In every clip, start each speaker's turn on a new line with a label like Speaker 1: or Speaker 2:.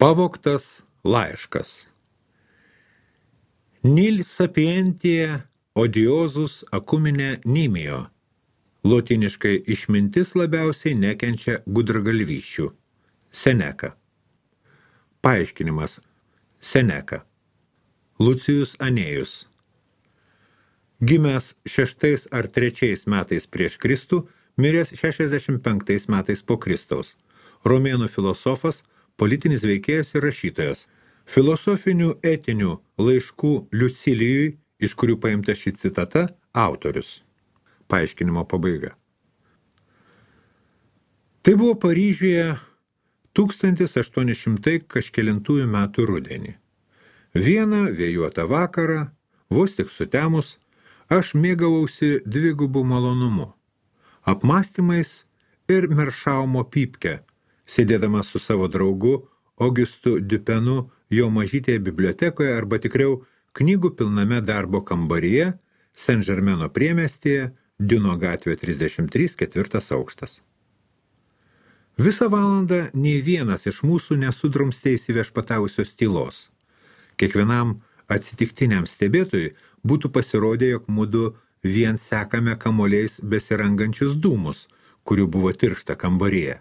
Speaker 1: Pavogtas laiškas. Nil sapientie odiosus acumine nimio. Lotiniškai išmintis labiausiai nekenčia gudragalvysčių. Seneka. Paaiškinimas. Seneka. Lucijus Anėjus. Gimęs 6 ar 3 metais prieš Kristų, miręs 65 metais po Kristaus. Romėnų filosofas, politinis veikėjas ir rašytojas. Filosofinių etinių laiškų Liucilijui, iš kurių paimta ši citata, autorius. Paaiškinimo pabaiga. Tai buvo Paryžiuje 1800 kažkelintųjų metų rudenį. Vieną vėjuotą vakarą, vos tik sutemus, aš mėgavausi dvigubų malonumu. Apmąstymais ir Meršaumo pypke, sėdėdamas su savo draugu Augustu Dupenu jo mažytėje bibliotekoje arba tikriau knygų pilname darbo kambaryje, Saint-Germaino priemiestyje, Diuno gatvė 33, 4 aukštas. Visą valandą nei vienas iš mūsų nesudrumstė įsiviešpatavusios tylos. Kiekvienam atsitiktiniam stebėtojui būtų pasirodę, jog mudu vien sekame kamuoliais besirangančius dūmus, kurių buvo tiršta kambaryje.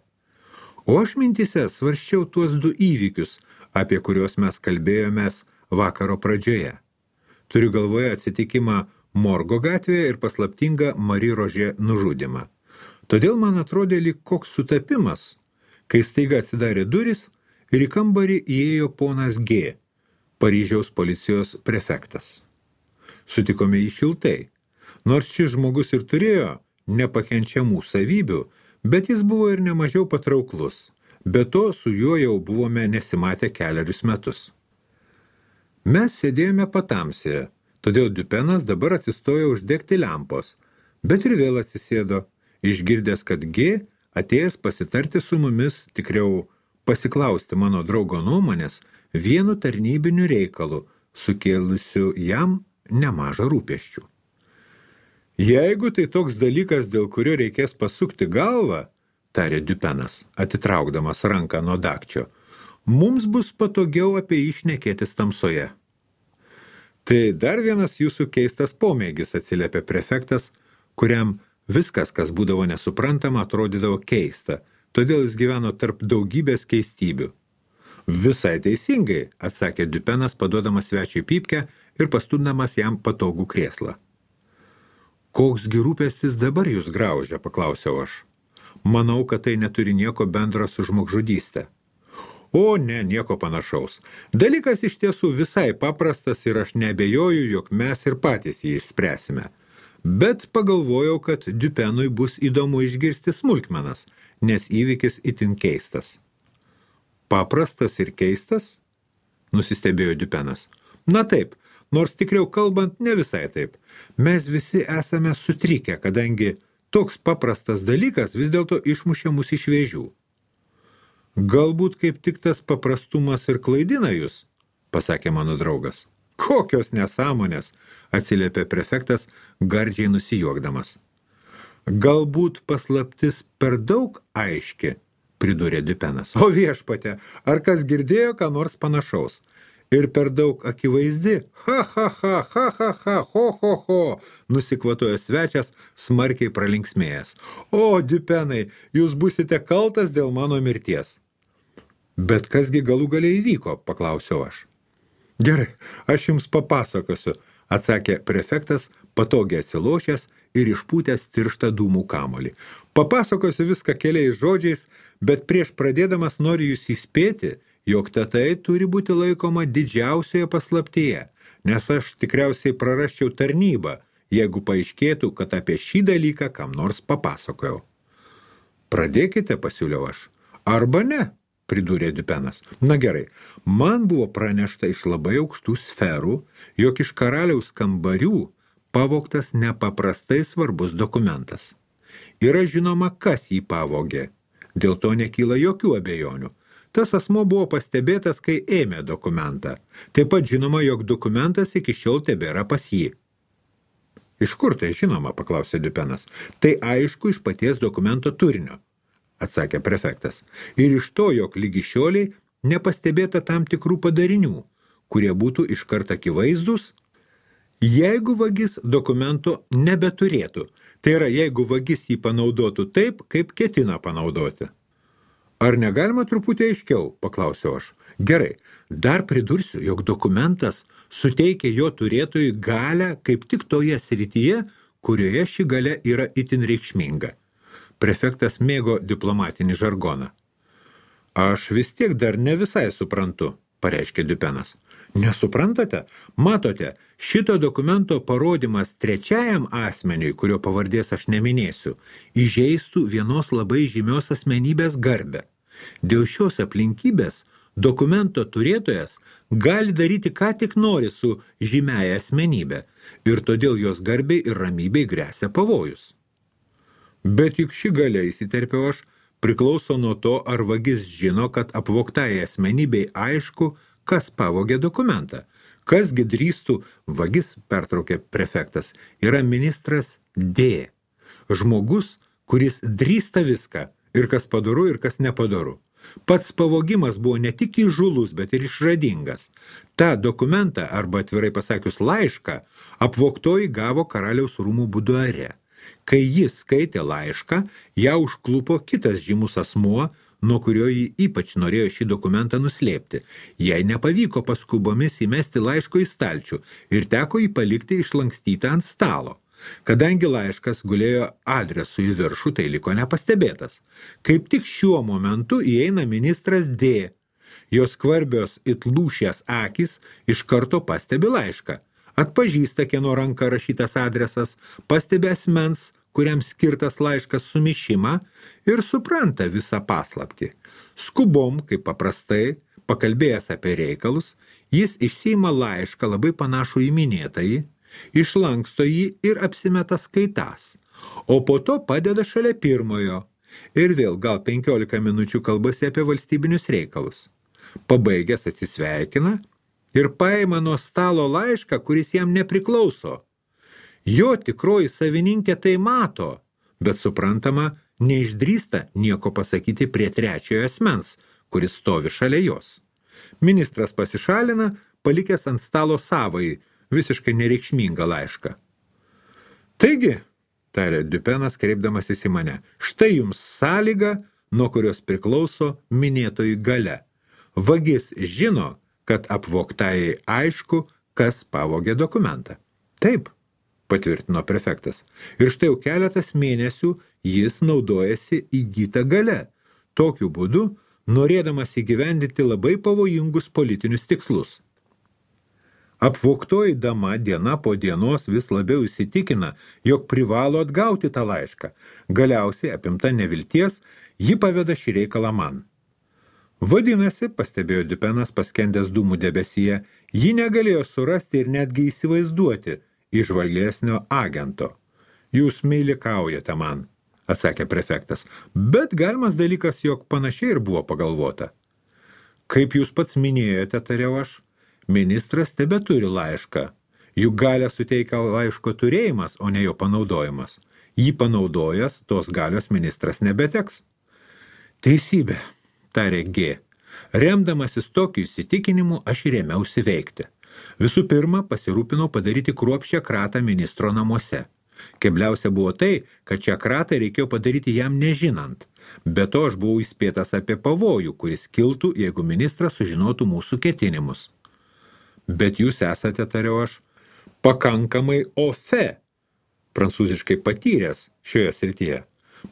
Speaker 1: O aš mintyse svarsčiau tuos 2 įvykius, apie kuriuos mes kalbėjomės vakaro pradžioje. Turiu galvoje atsitikimą Morgo gatvėje ir paslaptingą Marie Roger nužudymą. Todėl man atrodė lyg koks sutapimas, kai staiga atsidarė durys ir į kambarį įėjo ponas G, Paryžiaus policijos prefektas. Sutikome jį šiltai, nors šis žmogus ir turėjo nepakenčiamų savybių, bet jis buvo ir nemažiau patrauklus. Be to, su juo jau buvome nesimatę kelerius metus. Mes sėdėjome patamsėje, todėl Dupenas dabar atsistojo uždegti lempos, bet ir vėl atsisėdo, išgirdęs, kad G atėjęs pasitarti su mumis, tikriau pasiklausti mano draugo nuomonės, vienu tarnybiniu reikalu, sukėlusiu jam nemažą rūpesčių. Jeigu tai toks dalykas, dėl kurio reikės pasukti galvą, tarė Dupenas, atitraukdamas ranką nuo dakčio, mums bus patogiau apie jį šnekėtis tamsoje. Tai dar vienas jūsų keistas pomėgis, atsiliepė prefektas, kuriam viskas, kas būdavo nesuprantama, atrodydavo keista, todėl jis gyveno tarp daugybės keistybių. Visai teisingai, atsakė Dupenas, paduodamas svečiui pypkę ir pastumdamas jam patogų krėslą. Koksgi rūpestis dabar jūs graužia, paklausiau aš. Manau, kad tai neturi nieko bendro su žmogžudystė. O ne, nieko panašaus. Dalykas iš tiesų visai paprastas ir aš neabejoju, jog mes ir patys jį išspręsime. Bet pagalvojau, kad Dupenui bus įdomu išgirsti smulkmenas, nes įvykis itin keistas. Paprastas ir keistas? Nusistebėjo Dupenas. Na taip, nors tikriau kalbant ne visai taip. Mes visi esame sutrikę, kadangi toks paprastas dalykas vis dėlto išmušė mus iš vėžių. Galbūt kaip tik tas paprastumas ir klaidina jūs, pasakė mano draugas. Kokios nesąmonės, atsiliepė prefektas, gardžiai nusijuokdamas. Galbūt paslaptis per daug aiški, pridūrė Dupenas. O viešpate, ar kas girdėjo ką nors panašaus? Ir per daug akivaizdi, ho, nusikvatojo svečias, smarkiai pralinksmėjęs. O, Dupenai, jūs busite kaltas dėl mano mirties. Bet kasgi galų galiai įvyko, paklausiau aš. Gerai, aš jums papasakosiu, atsakė prefektas, patogiai atsilošęs ir išpūtęs tirštą dūmų kamuolį. Papasakosiu viską keliais žodžiais, bet prieš pradėdamas noriu jūs įspėti, jog tai turi būti laikoma didžiausioje paslaptyje, nes aš tikriausiai prarasčiau tarnybą, jeigu paaiškėtų, kad apie šį dalyką kam nors papasakojau. Pradėkite, pasiūliau aš. Arba ne, pridūrė Dupenas. Na gerai, man buvo pranešta iš labai aukštų sferų, jog iš karaliaus kambarių pavogtas nepaprastai svarbus dokumentas. Yra žinoma, kas jį pavogė. Dėl to nekyla jokių abejonių. Tas asmo buvo pastebėtas, kai ėmė dokumentą. Taip pat žinoma, jog dokumentas iki šiol tebėra pas jį. Iš kur tai žinoma, paklausė Dupenas. Tai aišku iš paties dokumento turinio, atsakė prefektas. Ir iš to, jog lygi šioliai nepastebėta tam tikrų padarinių, kurie būtų iškart akivaizdūs, jeigu vagis dokumento nebeturėtų. Tai yra, jeigu vagis jį panaudotų taip, kaip ketina panaudoti. Ar negalima truputį aiškiau, paklausiau aš. Gerai, dar pridursiu, jog dokumentas suteikia jo turėtojui galią kaip tik toje srityje, kurioje ši galia yra itin reikšminga. Prefektas mėgo diplomatinį žargoną. Aš vis tiek dar ne visai suprantu, pareiškė Dupenas. Nesuprantate? Matote, šito dokumento parodymas trečiajam asmeniui, kurio pavardės aš neminėsiu, įžeistų vienos labai žymios asmenybės garbę. Dėl šios aplinkybės dokumento turėtojas gali daryti ką tik nori su žymiaja asmenybė ir todėl jos garbei ir ramybei gresia pavojus. Bet juk ši galia, įsiterpiau aš, priklauso nuo to, ar vagis žino, kad apvogtai asmenybei aišku, kas pavogė dokumentą. Kasgi drįstų, vagis, pertraukė prefektas, yra ministras D. Žmogus, kuris drįsta viską, ir kas padoru, ir kas nepadoru. Pats pavogimas buvo ne tik įžūlus, bet ir išradingas. Ta dokumentą, arba atvirai pasakius laišką, apvogtoji gavo karaliaus rūmų buduare. Kai jis skaitė laišką, ją užklupo kitas žymus asmuo, nuo kurio jį ypač norėjo šį dokumentą nuslėpti. Jai nepavyko paskubomis įmesti laiško į stalčių ir teko jį palikti išlankstytą ant stalo. Kadangi laiškas gulėjo adresu į viršų, tai liko nepastebėtas. Kaip tik šiuo momentu įeina ministras D. Jos skvarbios it lūšies akys iš karto pastebi laišką. Atpažįsta, kieno ranka rašytas adresas, pastebi asmens, kuriam skirtas laiškas sumišimą ir supranta visą paslaptį. Skubom, kaip paprastai, pakalbėjęs apie reikalus, jis išsiima laišką labai panašų į minėtąjį, išlanksto jį ir apsimeta skaitas, o po to padeda šalia pirmojo ir vėl gal 15 minučių kalbasi apie valstybinius reikalus. Pabaigęs atsisveikina ir paima nuo stalo laišką, kuris jam nepriklauso. Jo tikroji savininkė tai mato, bet suprantama, neišdrįsta nieko pasakyti prie trečiojo asmens, kuris stovi šalia jos. Ministras pasišalina, palikęs ant stalo savąjį, visiškai nereikšmingą laišką. Taigi, tarė Dupenas, kreipdamasis į mane, štai jums sąlyga, nuo kurios priklauso minėtoji galia. Vagis žino, kad apvogtai aišku, kas pavogė dokumentą. Taip, patvirtino prefektas. Ir štai jau keletas mėnesių jis naudojasi įgytą galia. Tokiu būdu, norėdamas įgyvendinti labai pavojingus politinius tikslus. Apvogtoji dama diena po dienos vis labiau įsitikina, jog privalo atgauti tą laišką. Galiausiai, apimta nevilties, ji paveda šį reikalą man. Vadinasi, pastebėjo Dupenas paskendęs dūmų debesyje, ji negalėjo surasti ir netgi įsivaizduoti įžvalgesnio agento. Jūs meilikaujate man, atsakė prefektas, bet galimas dalykas, jog panašiai ir buvo pagalvota. Kaip jūs pats minėjote, tariau aš, ministras tebeturi laišką. Juk galią suteikia laiško turėjimas, o ne jo panaudojimas. Jį panaudojęs, tos galios ministras nebeteks. Teisybė, tarė G. Remdamasis tokiu įsitikinimu, aš ir ėmiausi veikti. Visų pirma, pasirūpinau padaryti kruopščią kratą ministro namuose. Kebliausia buvo tai, kad šią kratą reikėjo padaryti jam nežinant. Be to aš buvau įspėtas apie pavojų, kuris kiltų, jeigu ministras sužinotų mūsų ketinimus. Bet jūs esate, tariau aš, pakankamai ofe, prancūziškai patyręs šioje srityje.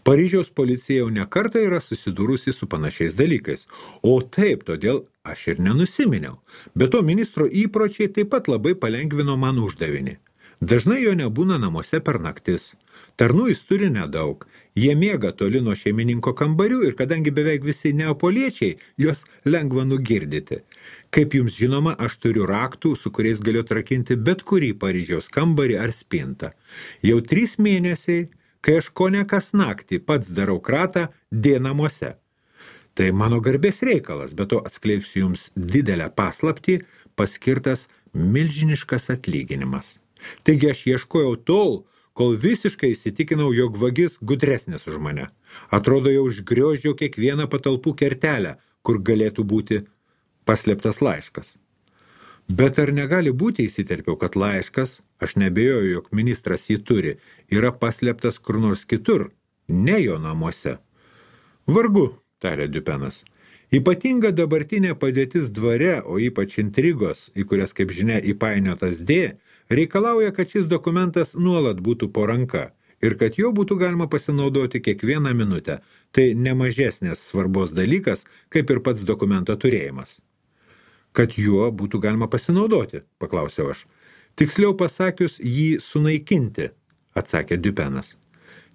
Speaker 1: Paryžiaus policija jau nekartą yra susidūrusi su panašiais dalykais, o taip, todėl aš ir nenusiminiau. Be to ministro įpročiai taip pat labai palengvino man uždavinį. Dažnai jo nebūna namuose per naktis. Tarnų jis turi nedaug. Jie miega toli nuo šeimininko kambarių ir kadangi beveik visi neapoliečiai, juos lengva nugirdyti. Kaip jums žinoma, aš turiu raktų, su kuriais galiu atrakinti bet kurį Paryžiaus kambarį ar spintą. Jau 3 mėnesiai, kai aš kone kas naktį pats darau kratą D namuose. Tai mano garbės reikalas, bet to atskleipsiu jums didelę paslaptį, paskirtas milžiniškas atlyginimas. Taigi aš ieškojau tol, kol visiškai įsitikinau, jog vagis gudresnis už mane. Atrodo, jau užgrioždžiau kiekvieną patalpų kertelę, kur galėtų būti paslėptas laiškas. Bet ar negali būti, įsiterpiau, kad laiškas, aš nebejoju, jog ministras jį turi, yra paslėptas kur nors kitur, ne jo namuose? Vargu, tarė Dupenas. Ypatinga dabartinė padėtis dvare, o ypač intrigos, į kurias, kaip žinia, įpainiotas D, reikalauja, kad šis dokumentas nuolat būtų po ranka ir kad jo būtų galima pasinaudoti kiekvieną minutę. Tai nemažesnės svarbos dalykas, kaip ir pats dokumento turėjimas. Kad juo būtų galima pasinaudoti, paklausiau aš. Tiksliau pasakius, jį sunaikinti, atsakė Dupenas.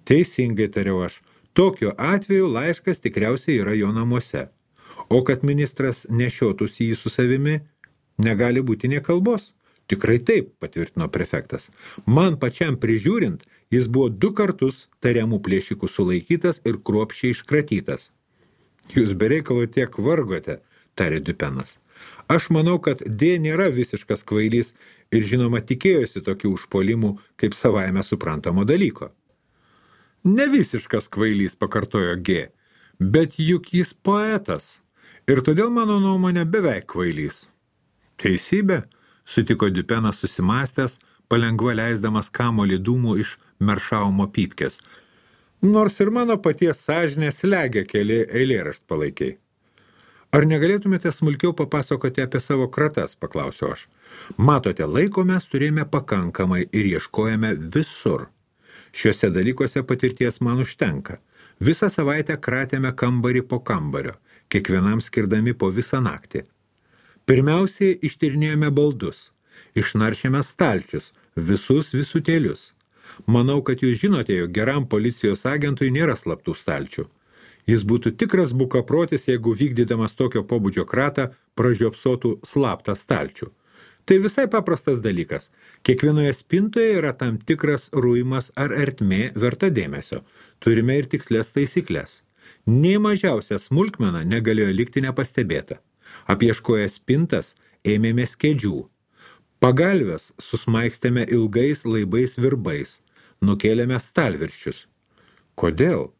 Speaker 1: Teisingai, tariau aš, tokiu atveju laiškas tikriausiai yra jo namuose. O kad ministras nešiotųsi jį su savimi, negali būti nė kalbos. Tikrai taip, patvirtino prefektas. Man pačiam prižiūrint, jis buvo 2 kartus tariamų plėšikų sulaikytas ir kruopščiai iškratytas. Jūs bereikalo tiek vargote, tarė Dupenas. Aš manau, kad D nėra visiškas kvailys ir žinoma tikėjosi tokių užpuolimų kaip savaime suprantamo dalyko. Ne visiškas kvailys, pakartojo G, bet juk jis poetas ir todėl mano nuomonė beveik kvailys. Teisybė, sutiko Dupenas susimąstęs, palengva leisdamas kamuolį dūmų iš Meršaumo pypkės. Nors ir mano paties sąžinė slegia keli eilėraštpalaikiai. Ar negalėtumėte smulkiau papasakoti apie savo kratas, paklausiau aš. Matote, laiko mes turėjome pakankamai ir ieškojame visur. Šiuose dalykuose patirties man užtenka. Visą savaitę kratėme kambarį po kambario, kiekvienam skirdami po visą naktį. Pirmiausiai ištyrinėjome baldus, išnaršėme stalčius, visus visutėlius. Manau, kad jūs žinote, jog geram policijos agentui nėra slaptų stalčių. Jis būtų tikras bukaprotis, jeigu vykdydamas tokio pobūdžio kratą pražiopsotų slaptą stalčių. Tai visai paprastas dalykas. Kiekvienoje spintoje yra tam tikras ruimas ar ertmė verta dėmesio. Turime ir tikslės taisyklės. Nei mažiausia smulkmena negalėjo likti nepastebėta. Apieškoję spintas ėmėmės kėdžių. Pagalves susmaikstėme ilgais laibais virbais. Nukėlėme stalvirščius. Kodėl?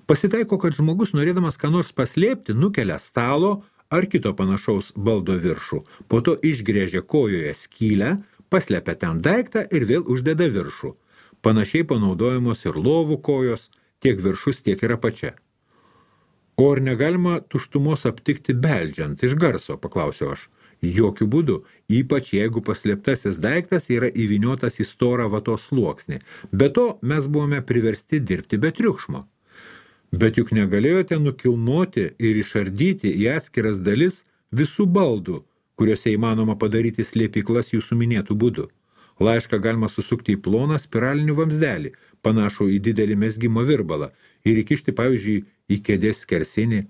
Speaker 1: Pasitaiko, kad žmogus, norėdamas ką nors paslėpti, nukelia stalo ar kito panašaus baldo viršų, po to išgrėžia kojoje skylę, paslepia ten daiktą ir vėl uždeda viršų. Panašiai panaudojamos ir lovų kojos, tiek viršus, tiek ir apačia. O ar negalima tuštumos aptikti beldžiant iš garso, paklausiau aš. Jokių būdų, ypač jeigu paslėptasis daiktas yra įvyniotas į storą vatos sluoksnį. Be to, mes buvome priversti dirbti be triukšmo. Bet juk negalėjote nukilnoti ir išardyti į atskiras dalis visų baldų, kuriuose įmanoma padaryti slėpyklas jūsų minėtų būdų. Laišką galima susukti į ploną spiralinį vamsdelį, panašų į didelį mezgimo virbalą, ir įkišti, pavyzdžiui, į kėdės skersinį.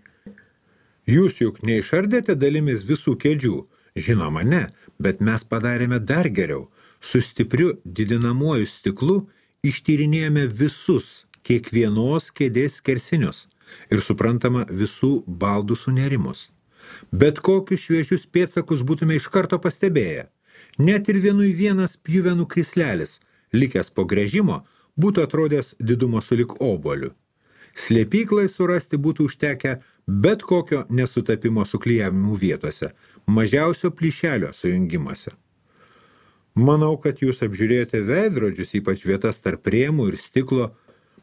Speaker 1: Jūs juk neišardėte dalimis visų kėdžių. Žinoma, ne, bet mes padarėme dar geriau. Su stipriu didinamuoju stiklu ištyrinėjome visus kiekvienos kėdės skersinius ir suprantama visų baldų sunerimus. Bet kokius šviežius pėdsakus būtume iš karto pastebėję. Net ir vienas pjuvenų krislelis, likęs po gręžimo, būtų atrodęs didumo sulig obuoliu. Slėpyklai surasti būtų užtekę bet kokio nesutapimo suklijavimų vietose, mažiausio plyšelio sujungimuose. Manau, kad jūs apžiūrėjote veidrodžius, ypač vietas tarp rėmų ir stiklo,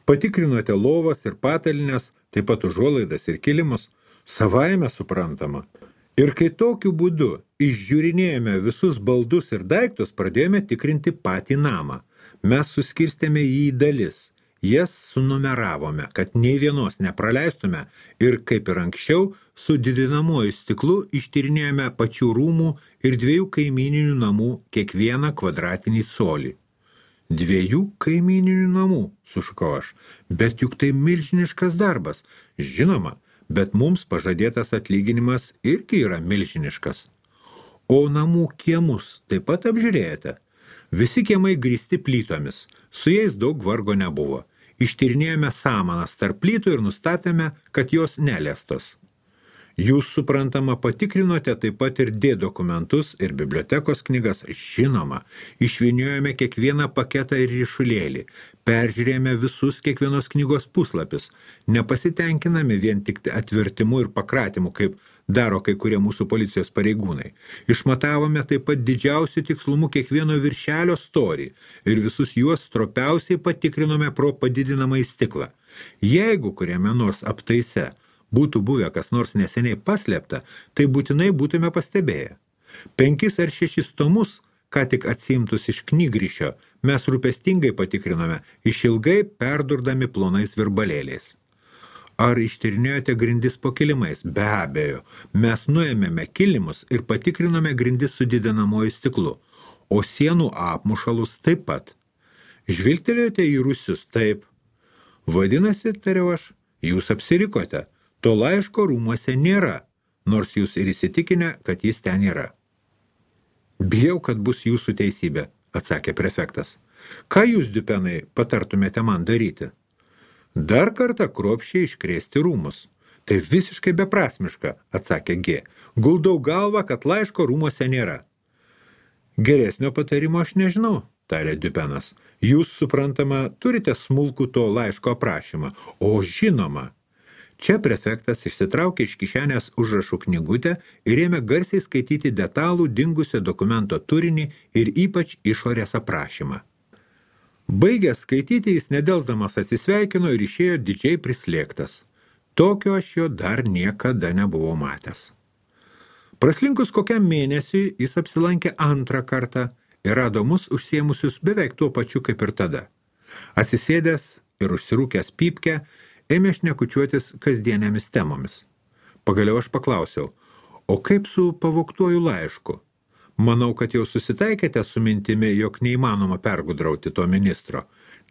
Speaker 1: patikrinote lovas ir patalines, taip pat užuolaidas ir kilimus, savaime suprantama. Ir kai tokiu būdu išžiūrinėjome visus baldus ir daiktus, pradėjome tikrinti patį namą. Mes suskirstėme jį į dalis. Jas sunumeravome, kad nei vienos nepraleistume ir, kaip ir anksčiau, su didinamuoju stiklu ištyrinėjome pačių rūmų ir 2 kaimyninių namų kiekvieną kvadratinį colį. 2 kaimyninių namų, sušukau aš, bet juk tai milžiniškas darbas. Žinoma, bet mums pažadėtas atlyginimas irgi yra milžiniškas. O namų kiemus taip pat apžiūrėjote? Visi kiemai grįsti plytomis, su jais daug vargo nebuvo. Ištyrinėjome samanas tarp plytų ir nustatėme, kad jos neliestos. Jūs, suprantama, patikrinote taip pat ir D dokumentus ir bibliotekos knygas, žinoma. Išvyniojome kiekvieną paketą ir ryšulėlį, peržiūrėjome visus kiekvienos knygos puslapius, nepasitenkinami vien tik atvertimu ir pakratimu, kaip daro kai kurie mūsų policijos pareigūnai. Išmatavome taip pat didžiausių tikslumų kiekvieno viršelio storį ir visus juos stropiausiai patikrinome pro padidinamą į stiklą. Jeigu kuriame nors aptaise būtų buvę kas nors neseniai paslėpta, tai būtinai būtume pastebėję. 5 ar 6 tomus, ką tik atsiimtus iš knygrišio, mes rūpestingai patikrinome, išilgai perdurdami plonais virbalėliais. Ar ištyrinėjote grindis po kilimais? Be abejo, mes nuėmėme kilimus ir patikrinome grindis su didinamuoju stiklu, o sienų apmušalus taip pat. Žvilgtelėjote į rūsius? Taip. Vadinasi, tariau aš, jūs apsirikote. To laiško rūmuose nėra, nors jūs ir įsitikinę, kad jis ten yra. Bijau, kad bus jūsų teisybė, atsakė prefektas. Ką jūs, Dupenai, patartumėte man daryti? Dar kartą kruopščiai iškrėsti rūmus. Tai visiškai beprasmiška, atsakė G. Guldau galvą, kad laiško rūmuose nėra. Geresnio patarimo aš nežinau, tarė Dupenas. Jūs, suprantama, turite smulkų to laiško aprašymą, o žinoma. Čia prefektas išsitraukė iš kišenės užrašų knygutę ir ėmė garsiai skaityti detalų dingusio dokumento turinį ir ypač išorės aprašymą. Baigęs skaityti, jis nedelsdamas atsisveikino ir išėjo didžiai prislėgtas. Tokio aš jo dar niekada nebuvau matęs. Praslinkus kokiam mėnesiui, jis apsilankė antrą kartą ir rado mus užsiėmusius beveik tuo pačiu kaip ir tada. Atsisėdęs ir užsirūkęs pypkę, ėmė šnekučiuotis kasdienėmis temomis. Pagaliau aš paklausiau, o kaip su pavogtuoju laišku? Manau, kad jau susitaikėte su mintimi, jog neįmanoma pergudrauti to ministro.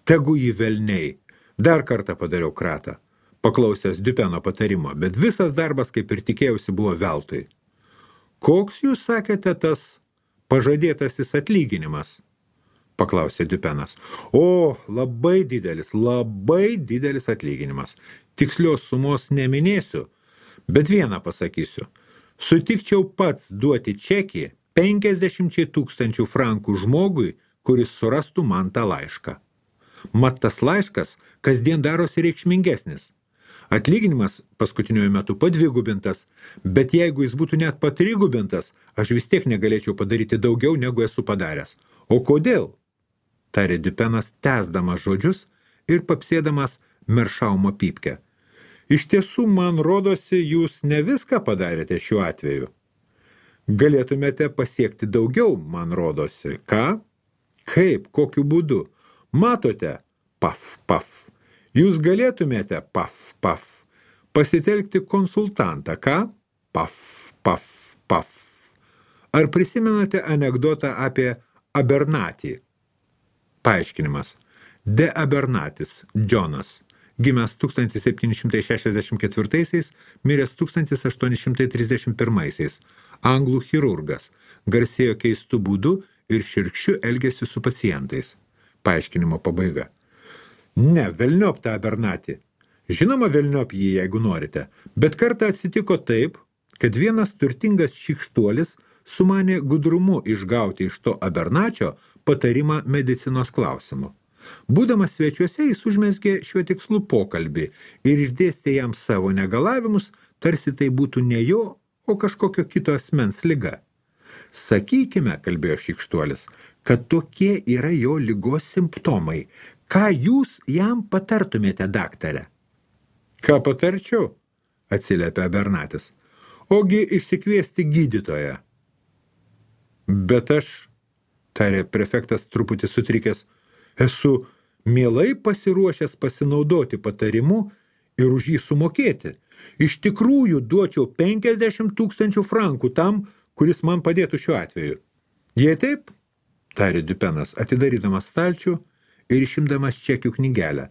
Speaker 1: Tegu jį velniai. Dar kartą padariau kratą, paklausęs Dupeno patarimo, bet visas darbas, kaip ir tikėjausi, buvo veltui. Koks jūs sakėte tas pažadėtasis atlyginimas? Paklausė Dupenas. O, labai didelis atlyginimas. Tikslios sumos neminėsiu, bet vieną pasakysiu. Sutikčiau pats duoti čekį 50 000 frankų žmogui, kuris surastų man tą laišką. Mat tas laiškas kasdien darosi reikšmingesnis. Atlyginimas paskutiniuoju metu padvigubintas, bet jeigu jis būtų net patrigubintas, aš vis tiek negalėčiau padaryti daugiau, negu esu padaręs. O kodėl? Tarė Dupenas, tęsdamas žodžius ir papsėdamas meršaumo pypkę. Iš tiesų, man rodosi, jūs ne viską padarėte šiuo atveju. Galėtumėte pasiekti daugiau, man rodosi. Ką? Kaip? Kokiu būdu? Matote? Paf, paf. Jūs galėtumėte, paf, paf, pasitelkti konsultantą. Ką? Paf, paf, paf. Ar prisimenate anekdotą apie Abernatį? Paaiškinimas. De Abernatis, Džonas, gimęs 1764, miręs 1831, anglų chirurgas, garsėjo keistų būdų ir širkščiu elgėsi su pacientais. Paaiškinimo pabaiga. Ne, velniop tą Abernatį. Žinoma, velniop jį, jeigu norite, bet kartą atsitiko taip, kad vienas turtingas šykštuolis sumanė gudrumu išgauti iš to Abernačio patarimą medicinos klausimu. Būdamas svečiuose, jis užmezgė šiuo tikslu pokalbį ir išdėstė jam savo negalavimus, tarsi tai būtų ne jo, o kažkokio kito asmens liga. Sakykime, kalbėjo šykštuolis, kad tokie yra jo ligos simptomai. Ką jūs jam patartumėte, daktare? Ką patarčiau? Atsiliepė Abernatis. Ogi išsikviesti gydytoją. Bet aš, tarė prefektas truputį sutrikęs, esu mielai pasiruošęs pasinaudoti patarimu ir už jį sumokėti. Iš tikrųjų duočiau 50 000 frankų tam, kuris man padėtų šiuo atveju. Jei taip, tarė Dupenas, atidarydamas stalčių ir išimdamas čekių knygelę,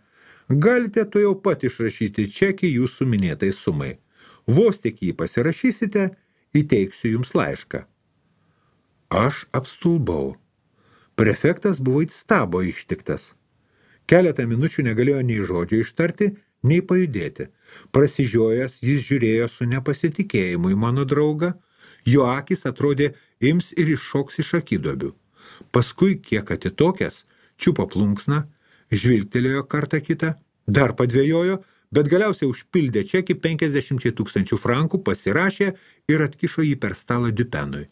Speaker 1: galite to jau pat išrašyti čekį jūsų minėtai sumai. Vos tik jį pasirašysite, įteiksiu jums laišką. Aš apstulbau. Prefektas buvo it stabo ištiktas. Keletą minučių negalėjo nei žodžio ištarti, nei pajudėti. Prasižiojęs, jis žiūrėjo su nepasitikėjimu į mano draugą, jo akis atrodė ims ir iššoks iš akiduobių. Paskui, kiek atitokęs, čiupo plunksną, žvilgtelėjo kartą kitą, dar padvėjojo, bet galiausiai užpildė čekį 50 000 frankų, pasirašė ir atkišo jį per stalą Dupenui.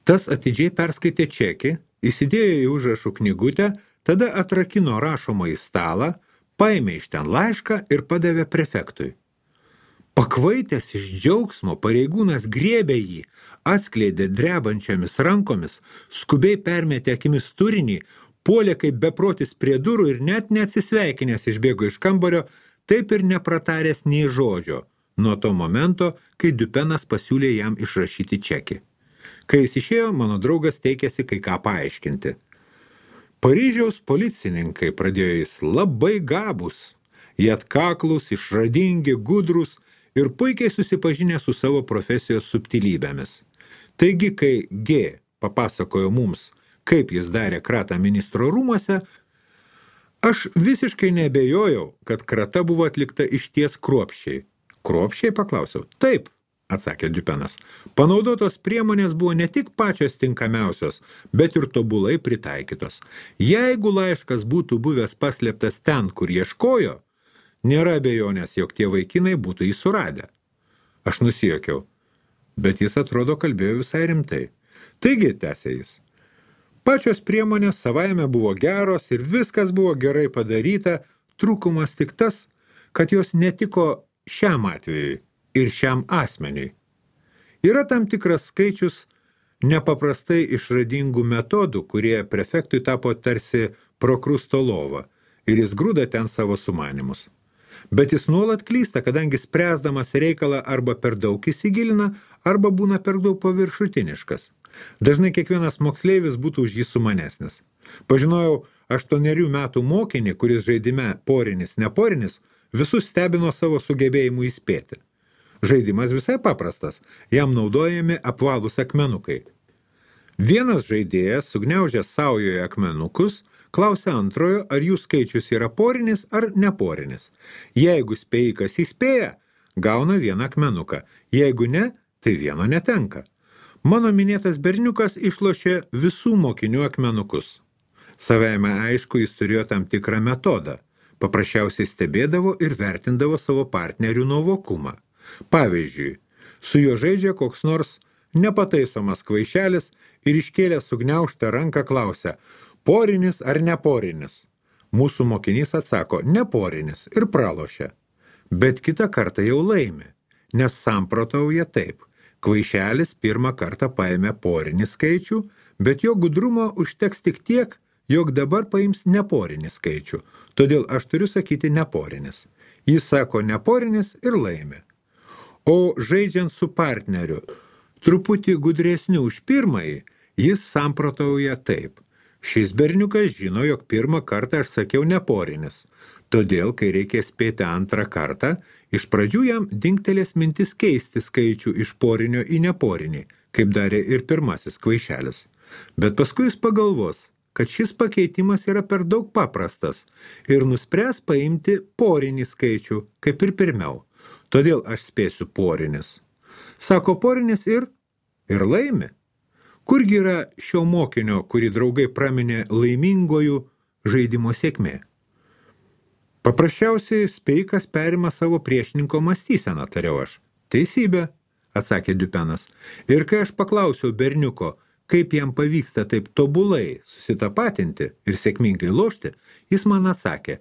Speaker 1: Tas atidžiai perskaitė čekį, įsidėjo į užrašų knygutę, tada atrakino rašomąjį stalą, paėmė iš ten laišką ir padavė prefektui. Pakvaitęs iš džiaugsmo, pareigūnas griebė jį, atskleidė drebančiomis rankomis, skubiai permetė akimis turinį, puolė kaip beprotis prie durų ir net neatsisveikinęs išbėgo iš kambario, taip ir neprataręs nei žodžio, nuo to momento, kai Dupenas pasiūlė jam išrašyti čekį. Kai jis išėjo, mano draugas teikėsi kai ką paaiškinti. Paryžiaus policininkai, pradėjo jis, labai gabūs, jie atkaklus, išradingi, gudrus ir puikiai susipažinę su savo profesijos subtilybėmis. Taigi, kai G papasakojo mums, kaip jis darė kratą ministro rūmuose, aš visiškai neabejojau, kad krata buvo atlikta išties kruopščiai. Kruopščiai, paklausiau. Taip, atsakė Dupenas. Panaudotos priemonės buvo ne tik pačios tinkamiausios, bet ir tobulai pritaikytos. Jeigu laiškas būtų buvęs paslėptas ten, kur ieškojo, nėra abejonės, jog tie vaikinai būtų jį suradę. Aš nusijuokiau, bet jis atrodo kalbėjo visai rimtai. Taigi, tęsė jis, pačios priemonės savaime buvo geros ir viskas buvo gerai padaryta, trūkumas tik tas, kad jos netiko šiam atvejui ir šiam asmeniui. Yra tam tikras skaičius nepaprastai išradingų metodų, kurie prefektui tapo tarsi prokrusto lova ir jis grūda ten savo sumanimus. Bet jis nuolat klysta, kadangi spręsdamas reikalą arba per daug įsigilina, arba būna per daug paviršutiniškas. Dažnai kiekvienas moksleivis būtų už jį sumanesnis. Pažinojau 8 metų mokinį, kuris žaidime porinis, neporinis, visus stebino savo sugebėjimu įspėti. Žaidimas visai paprastas, jam naudojami apvalūs akmenukai. Vienas žaidėjas, sugniaužęs saujoje akmenukus, klausia antrojo, ar jų skaičius yra porinis ar neporinis. Jeigu spėjikas įspėja, gauna vieną akmenuką, jeigu ne, tai vieno netenka. Mano minėtas berniukas išlošė visų mokinių akmenukus. Savaime aišku, jis turėjo tam tikrą metodą. Paprasčiausiai stebėdavo ir vertindavo savo partnerių nuovokumą. Pavyzdžiui, su juo žaidžia koks nors nepataisomas kvaišelis ir iškėlęs sugniaužtą ranką klausia, porinis ar neporinis. Mūsų mokinys atsako, neporinis ir pralošia. Bet kitą kartą jau laimi, nes samprotauja taip. Kvaišelis pirmą kartą paėmė porinį skaičių, bet jo gudrumo užteks tik tiek, jog dabar paims neporinį skaičių. Todėl aš turiu sakyti neporinis. Jis sako neporinis ir laimi. O žaidžiant su partneriu, truputį gudresniu už pirmąjį, jis samprotauja taip. Šis berniukas žino, jog pirmą kartą aš sakiau neporinis. Todėl, kai reikia spėti antrą kartą, iš pradžių jam dingtelės mintis keisti skaičių iš porinio į neporinį, kaip darė ir pirmasis kvaišelis. Bet paskui jis pagalvos, kad šis pakeitimas yra per daug paprastas ir nuspręs paimti porinį skaičių, kaip ir pirmiau. Todėl aš spėsiu porinis. Sako porinis ir laimi. Kurgi yra šio mokinio, kurį draugai praminė laimingojų žaidimo sėkmė? Paprasčiausiai spėjikas perima savo priešininko mąstyseną, tariau aš. Teisybė, atsakė Dupenas. Ir kai aš paklausiau berniuko, kaip jam pavyksta taip tobulai susitapatinti ir sėkmingai lošti, jis man atsakė,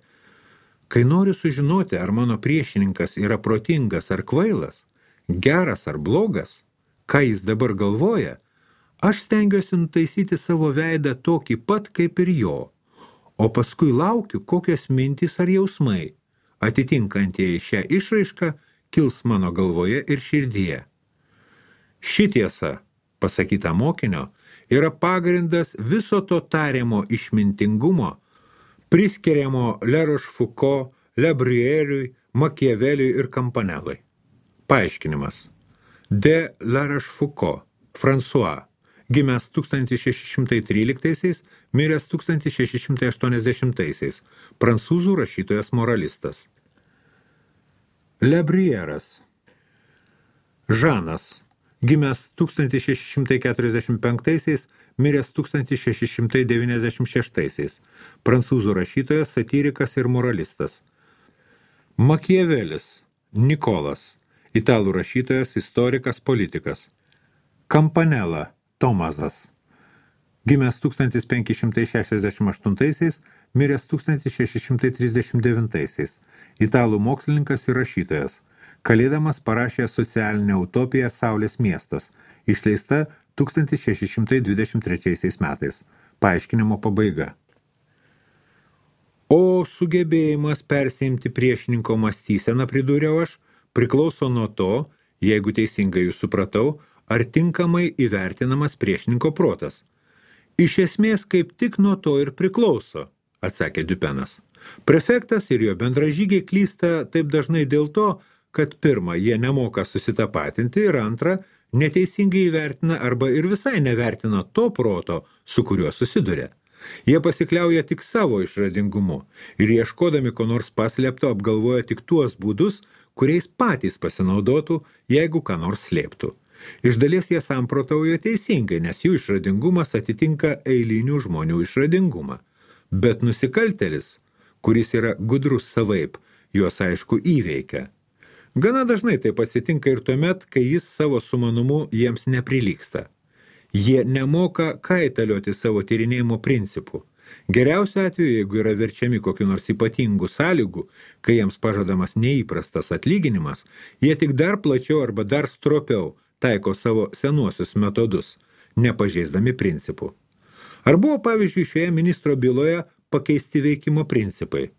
Speaker 1: kai noriu sužinoti, ar mano priešininkas yra protingas ar kvailas, geras ar blogas, ką jis dabar galvoja, aš stengiuosi nutaisyti savo veidą tokį pat kaip ir jo, o paskui laukiu, kokios mintys ar jausmai, atitinkantieji šią išraišką, kils mano galvoje ir širdyje. Ši tiesa, pasakyta mokinio, yra pagrindas viso to tariamo išmintingumo, priskiriamo Le Rochefoucauld, Le Bruyeriui, Machiaveliui ir Campanellai. Paaiškinimas. De La Rochefoucauld, François, gimęs 1613, miręs 1680, prancūzų rašytojas moralistas. Le Bruyeras. Žanas, gimęs 1645, miręs 1696, prancūzų rašytojas, satyrikas ir moralistas. Makiavelis, Nikolas, italų rašytojas, istorikas, politikas. Campanella, Tomazas, gimęs 1568, miręs 1639, italų mokslininkas ir rašytojas. Kalėdamas parašė socialinę utopiją Saulės miestas, išleista 1623 metais. Paaiškinimo pabaiga. O sugebėjimas persiimti priešininko mąstyseną, pridūriau aš, priklauso nuo to, jeigu teisingai jūs supratau, ar tinkamai įvertinamas priešininko protas. Iš esmės, kaip tik nuo to ir priklauso, atsakė Dupenas. Prefektas ir jo bendražygiai klysta taip dažnai dėl to, kad pirma, jie nemoka susitapatinti ir antra, neteisingai įvertina arba ir visai nevertina to proto, su kuriuo susiduria. Jie pasikliauja tik savo išradingumu ir ieškodami ko nors paslėpto apgalvoja tik tuos būdus, kuriais patys pasinaudotų, jeigu ką nors slėptų. Iš dalies jie samprotauja teisingai, nes jų išradingumas atitinka eilinių žmonių išradingumą. Bet nusikaltelis, kuris yra gudrus savaip, juos aišku įveikia. Gana dažnai taip atsitinka ir tuomet, kai jis savo sumanumu jiems neprilygsta. Jie nemoka kaitalioti savo tyrinėjimo principų. Geriausiu atveju, jeigu yra verčiami kokiu nors ypatingų sąlygų, kai jiems pažadamas neįprastas atlyginimas, jie tik dar plačiau arba dar stropiau taiko savo senuosius metodus, nepažeisdami principų. Ar buvo, pavyzdžiui, šioje ministro byloje pakeisti veikimo principai?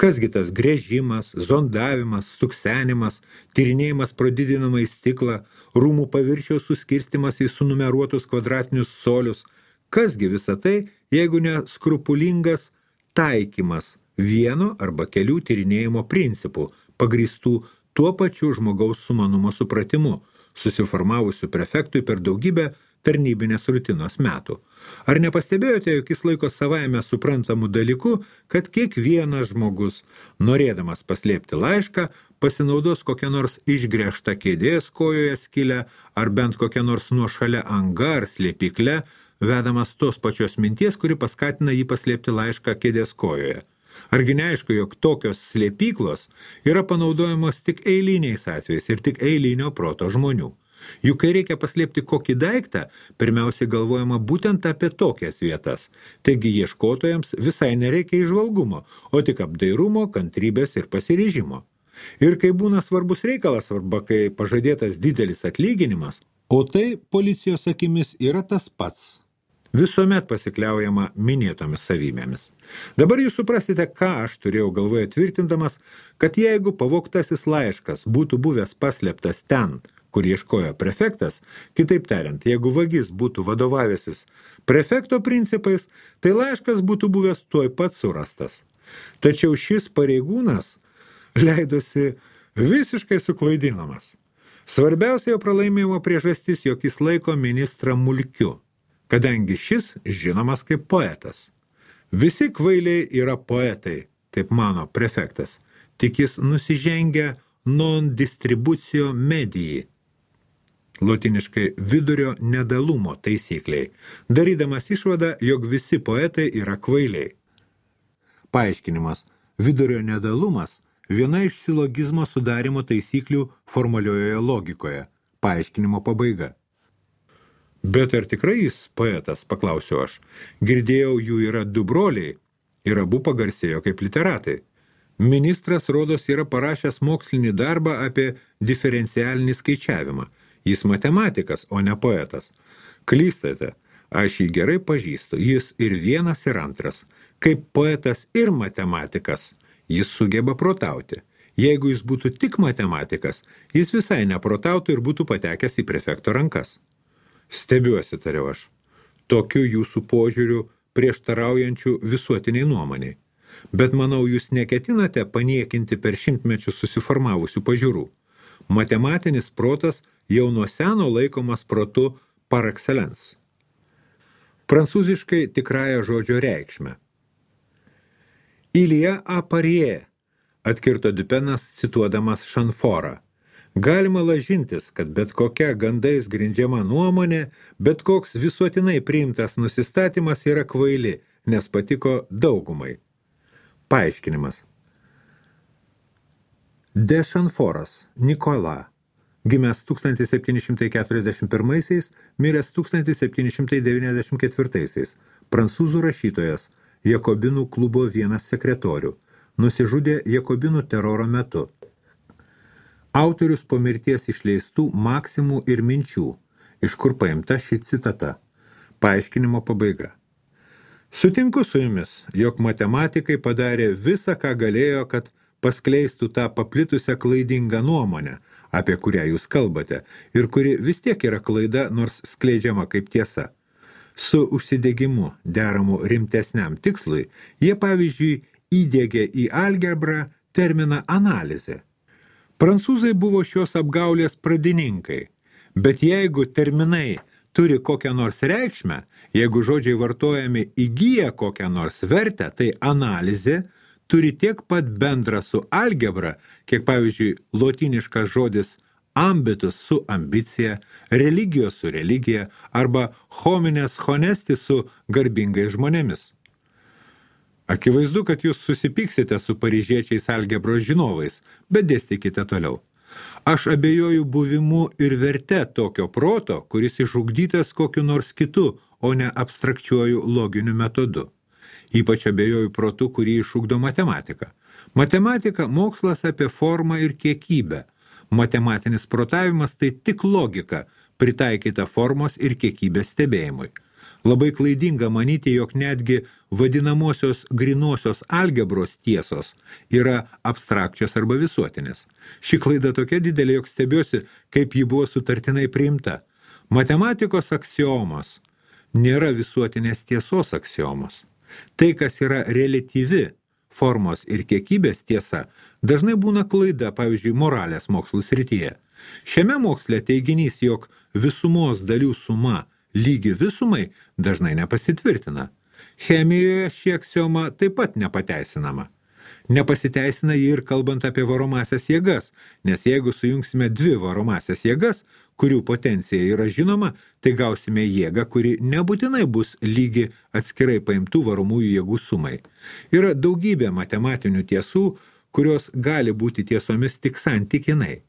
Speaker 1: Kasgi tas gręžimas, zondavimas, stuksenimas, tyrinėjimas pro didinamą į stiklą, rūmų paviršiaus suskirstimas į sunumeruotus kvadratinius colius, kasgi visa tai, jeigu ne skrupulingas taikymas vieno arba kelių tyrinėjimo principų, pagrįstų tuo pačiu žmogaus sumanumo supratimu, susiformavusiu prefektui per daugybę tarnybinės rutinos metų. Ar nepastebėjote, jog jis laiko savaime suprantamų dalykų, kad kiekvienas žmogus, norėdamas paslėpti laišką, pasinaudos kokią nors išgręžtą kėdės kojoje skilę, ar bent kokią nors nuošalia anga ar slėpikle, vedamas tos pačios minties, kuri paskatina jį paslėpti laišką kėdės kojoje. Argi neaišku, jog tokios slėpyklos yra panaudojamos tik eiliniais atvejais ir tik eilinio proto žmonių. Juk kai reikia paslėpti kokį daiktą, pirmiausiai galvojama būtent apie tokias vietas. Taigi ieškotojams visai nereikia įžvalgumo, o tik apdairumo, kantrybės ir pasiryžimo. Ir kai būna svarbus reikalas, arba kai pažadėtas didelis atlyginimas, o tai policijos akimis yra tas pats. Visuomet pasikliaujama minėtomis savybėmis. Dabar jūs suprasite, ką aš turėjau galvoje tvirtindamas, kad jeigu pavogtasis laiškas būtų buvęs paslėptas ten, kur ieškojo prefektas, kitaip tariant, jeigu vagis būtų vadovavęsis prefekto principais, tai laiškas būtų buvęs tuoj pat surastas. Tačiau šis pareigūnas leidosi visiškai suklaidinamas. Svarbiausia jo pralaimėjimo priežastis, jog jis laiko ministrą mulkiu, kadangi šis žinomas kaip poetas. Visi kvailiai yra poetai, taip mano prefektas, tik jis nusižengia non distribucio medijai, lotiniškai vidurio nedalumo taisykliai, darydamas išvadą, jog visi poetai yra kvailiai. Paaiškinimas. Vidurio nedalumas – viena iš silogizmo sudarimo taisyklių formaliojoje logikoje. Paaiškinimo pabaiga. Bet ar tikrai jis poetas, paklausiau aš. Girdėjau, jų yra du broliai ir abu pagarsėjo kaip literatai. Ministras, rodos, yra parašęs mokslinį darbą apie diferencialinį skaičiavimą. Jis matematikas, o ne poetas. Klystate, aš jį gerai pažįstu, jis ir vienas ir antras. Kaip poetas ir matematikas, jis sugeba protauti. Jeigu jis būtų tik matematikas, jis visai neprotautų ir būtų patekęs į prefekto rankas. Stebiuosi, tariau aš, tokiu jūsų požiūriu prieštaraujančių visuotiniai nuomoniai. Bet manau, jūs neketinate paniekinti per šimtmečius susiformavusių pažiūrų. Matematinis protas jau nuo seno laikomas protu par excellence. Prancūziškai tikrąją žodžio reikšmę. Il y a à parier, atkirto Dupenas cituodamas Šanforą. Galima lažintis, kad bet kokia gandais grindžiama nuomonė, bet koks visuotinai priimtas nusistatymas yra kvaili, nes patiko daugumai. Paaiškinimas. De Chanforas Nikola, gimęs 1741, miręs 1794, prancūzų rašytojas, Jakobinų klubo vienas sekretorių, nusižudė Jakobinų teroro metu. Autorius po mirties išleistų maksimų ir minčių, iš kur paimta ši citata. Paaiškinimo pabaiga. Sutinku su jumis, jog matematikai padarė visą, ką galėjo, kad paskleistų tą paplitusią klaidingą nuomonę, apie kurią jūs kalbate, ir kuri vis tiek yra klaida, nors skleidžiama kaip tiesa. Su užsidegimu deramu rimtesniam tikslui, jie pavyzdžiui įdiegė į algebrą terminą analizė. Prancūzai buvo šios apgaulės pradininkai, bet jeigu terminai turi kokią nors reikšmę, jeigu žodžiai vartojami įgyja kokią nors vertę, tai analizė turi tiek pat bendra su algebra, kiek pavyzdžiui lotyniškas žodis ambitus su ambicija, religijos su religija arba homines honesti su garbingais žmonėmis. Akivaizdu, kad jūs susipyksite su paryžiečiais algebros žinovais, bet dėstykite toliau. Aš abejoju buvimu ir verte tokio proto, kuris išugdytas kokiu nors kitu, o ne abstrakčiuoju loginiu metodu. Ypač abejoju protu, kurį išugdo matematika. Matematika – mokslas apie formą ir kiekybę. Matematinis protavimas – tai tik logika, pritaikyta formos ir kiekybės stebėjimui. Labai klaidinga manyti, jog netgi vadinamosios grinosios algebros tiesos yra abstrakčios arba visuotinės. Ši klaida tokia didelė, jog stebiuosi, kaip ji buvo sutartinai priimta. Matematikos aksiomos nėra visuotinės tiesos aksiomos. Tai, kas yra reliatyvi formos ir kiekybės tiesa, dažnai būna klaida, pavyzdžiui, moralės mokslų srityje. Šiame moksle teiginys, jog visumos dalių suma lygi visumai, dažnai nepasitvirtina. Chemijoje ši aksioma taip pat nepateisinama. Nepasiteisina jį ir kalbant apie varomasias jėgas, nes jeigu sujungsime dvi varomasias jėgas, kurių potencija yra žinoma, tai gausime jėgą, kuri nebūtinai bus lygi atskirai paimtų varomųjų jėgų sumai. Yra daugybė matematinių tiesų, kurios gali būti tiesomis tik santykinai.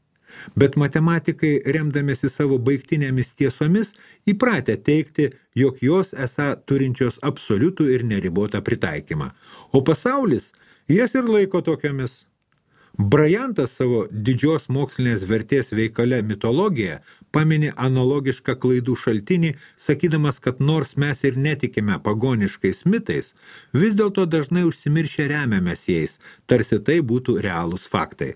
Speaker 1: Bet matematikai, remdamėsi savo baigtinėmis tiesomis, įpratę teikti, jog jos esą turinčios absoliutų ir neribotą pritaikymą, o pasaulis jas ir laiko tokiamis. Brajantas savo didžios mokslinės vertės veikale mitologija pamini analogišką klaidų šaltinį, sakydamas, kad nors mes ir netikime pagoniškais mitais, vis dėlto dažnai užsimiršę remiamės jais, tarsi tai būtų realūs faktai.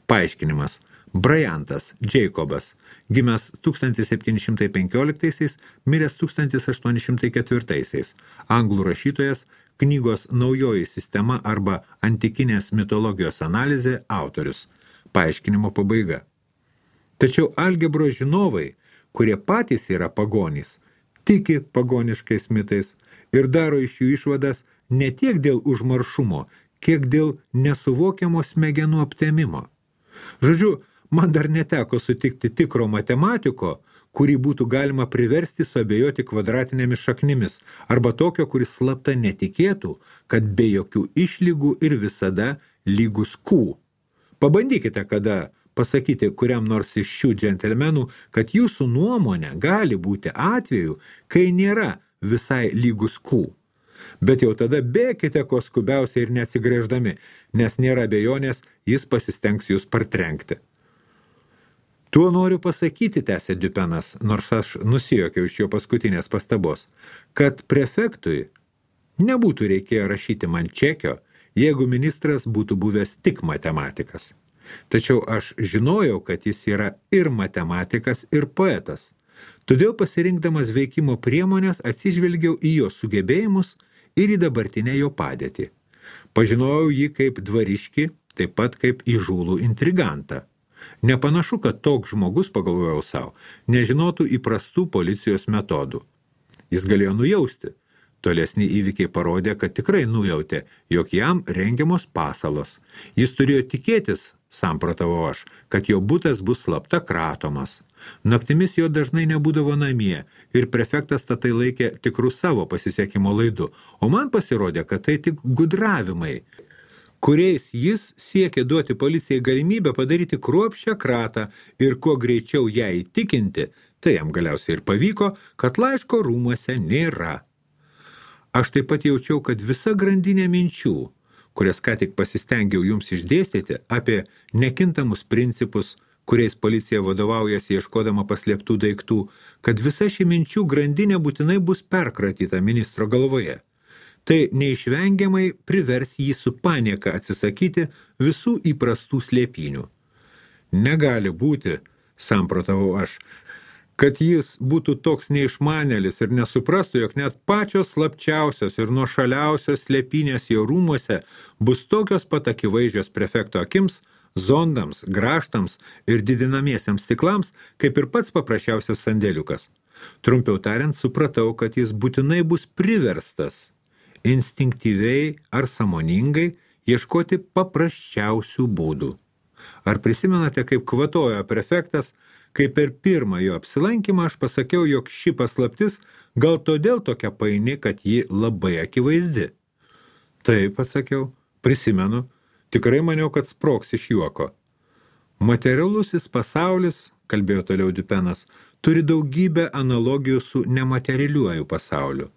Speaker 1: Paaiškinimas. Brajantas, Jacobas, gimęs 1715, miręs 1804, anglų rašytojas, knygos Naujoji sistema arba antikinės mitologijos analizė autorius. Paaiškinimo pabaiga. Tačiau algebros žinovai, kurie patys yra pagonys, tiki pagoniškais mitais ir daro iš jų išvadas ne tiek dėl užmaršumo, kiek dėl nesuvokiamo smegenų aptemimo. Žodžiu, man dar neteko sutikti tikro matematiko, kurį būtų galima priversti suabejoti kvadratinėmis šaknimis, arba tokio, kuris slapta netikėtų, kad be jokių išlygų ir visada lygus Q. Pabandykite kada pasakyti kuriam nors iš šių džentelmenų, kad jūsų nuomonė gali būti atveju, kai nėra visai lygus Q. Bet jau tada bėkite kuo skubiausiai ir neatsigręždami, nes nėra abejonės, jis pasistengs jūs partrenkti. Tuo noriu pasakyti, tęsė Dupenas, nors aš nusijokiau iš jo paskutinės pastabos, kad prefektui nebūtų reikėję rašyti man čekio, jeigu ministras būtų buvęs tik matematikas. Tačiau aš žinojau, kad jis yra ir matematikas, ir poetas. Todėl pasirinkdamas veikimo priemonės atsižvelgiau į jo sugebėjimus ir į dabartinę jo padėtį. Pažinojau jį kaip dvariškį, taip pat kaip įžūlų intrigantą. Nepanašu, kad toks žmogus, pagalvojau savo, nežinotų įprastų policijos metodų. Jis galėjo nujausti. Tolesni įvykiai parodė, kad tikrai nujautė, jog jam rengiamos pasalos. Jis turėjo tikėtis, samprotavau aš, kad jo butas bus slapta kratomas. Naktimis jo dažnai nebūdavo namie ir prefektas tai laikė tikrų savo pasisekimo laidu, o man pasirodė, kad tai tik gudravimai, kuriais jis siekė duoti policijai galimybę padaryti kruopščią kratą ir kuo greičiau ją įtikinti, tai jam galiausiai ir pavyko, kad laiško rūmuose nėra. Aš taip pat jaučiau, kad visa grandinė minčių, kurias ką tik pasistengiau jums išdėstyti apie nekintamus principus, kuriais policija vadovaujasi ieškodama paslėptų daiktų, kad visa ši minčių grandinė būtinai bus perkratyta ministro galvoje. Tai neišvengiamai privers jį su panieka atsisakyti visų įprastų slėpinių. Negali būti, samprotavau aš, kad jis būtų toks neišmanėlis ir nesuprastų, jog net pačios slapčiausios ir nuošaliausios slėpinės jo rūmuose bus tokios pat akivaizdžios prefekto akims, zondams, grąžtams ir didinamiesiems stiklams, kaip ir pats paprasčiausias sandėliukas. Trumpiau tariant, supratau, kad jis būtinai bus priverstas instinktyviai ar sąmoningai ieškoti paprasčiausių būdų. Ar prisimenate, kaip kvatojo prefektas, kai per pirmą jo apsilankymą aš pasakiau, jog ši paslaptis gal todėl tokia paini, kad ji labai akivaizdi? Taip, atsakiau, prisimenu, tikrai maniau, kad sprogs iš juoko. Materialusis pasaulis, kalbėjo toliau Dupenas, turi daugybę analogijų su nematerialiuoju pasauliu.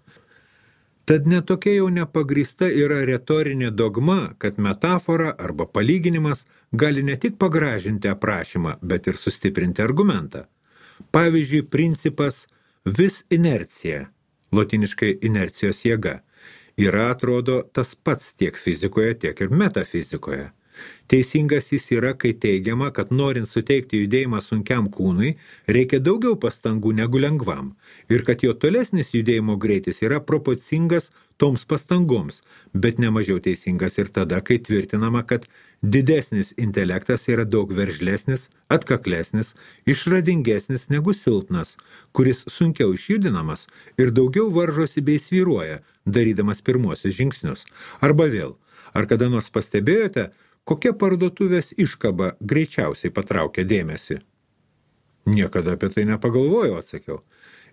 Speaker 1: Tad netokia jau nepagrįsta yra retorinė dogma, kad metafora arba palyginimas gali ne tik pagražinti aprašymą, bet ir sustiprinti argumentą. Pavyzdžiui, principas vis inercija, lotiniškai inercijos jėga, yra, atrodo, tas pats tiek fizikoje, tiek ir metafizikoje. Teisingas jis yra, kai teigiama, kad norint suteikti judėjimą sunkiam kūnui, reikia daugiau pastangų negu lengvam, ir kad jo tolesnis judėjimo greitis yra proporcingas toms pastangoms, bet nemažiau teisingas ir tada, kai tvirtinama, kad didesnis intelektas yra daug veržlesnis, atkaklesnis, išradingesnis negu silpnas, kuris sunkiau išjudinamas ir daugiau varžosi bei svyruoja, darydamas pirmuosius žingsnius. Arba vėl, ar kada nors pastebėjote, kokia parduotuvės iškaba greičiausiai patraukia dėmesį? Niekada apie tai nepagalvojau, atsakiau.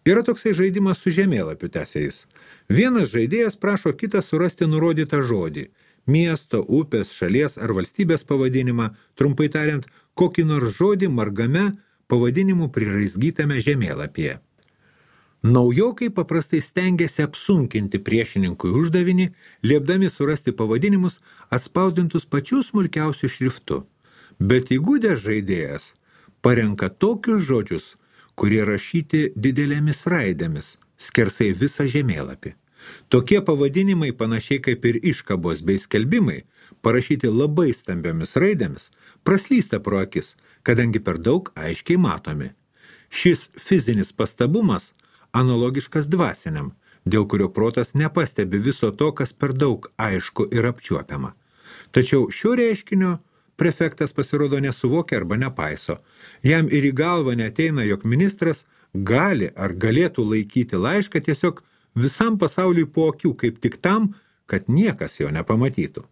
Speaker 1: Yra toksai žaidimas su žemėlapiu, tęsė jis. Vienas žaidėjas prašo kitą surasti nurodytą žodį, miesto, upės, šalies ar valstybės pavadinimą, trumpai tariant, kokį nors žodį margame pavadinimu priraizgytame žemėlapyje. Naujokai paprastai stengiasi apsunkinti priešininkui uždavinį, liepdami surasti pavadinimus atspausdintus pačių smulkiausių šriftų. Bet įgudęs žaidėjas parenka tokius žodžius, kurie rašyti didelėmis raidėmis, skersai visą žemėlapį. Tokie pavadinimai, panašiai kaip ir iškabos bei skelbimai, parašyti labai stambiomis raidėmis, praslysta pro akis, kadangi per daug aiškiai matomi. Šis fizinis pastabumas analogiškas dvasiniam, dėl kurio protas nepastebi viso to, kas per daug aišku ir apčiuopiama. Tačiau šio reiškinio prefektas pasirodo nesuvokia arba nepaiso. Jam ir į galvą neateina, jog ministras gali ar galėtų laikyti laišką tiesiog visam pasauliui po akių, kaip tik tam, kad niekas jo nepamatytų.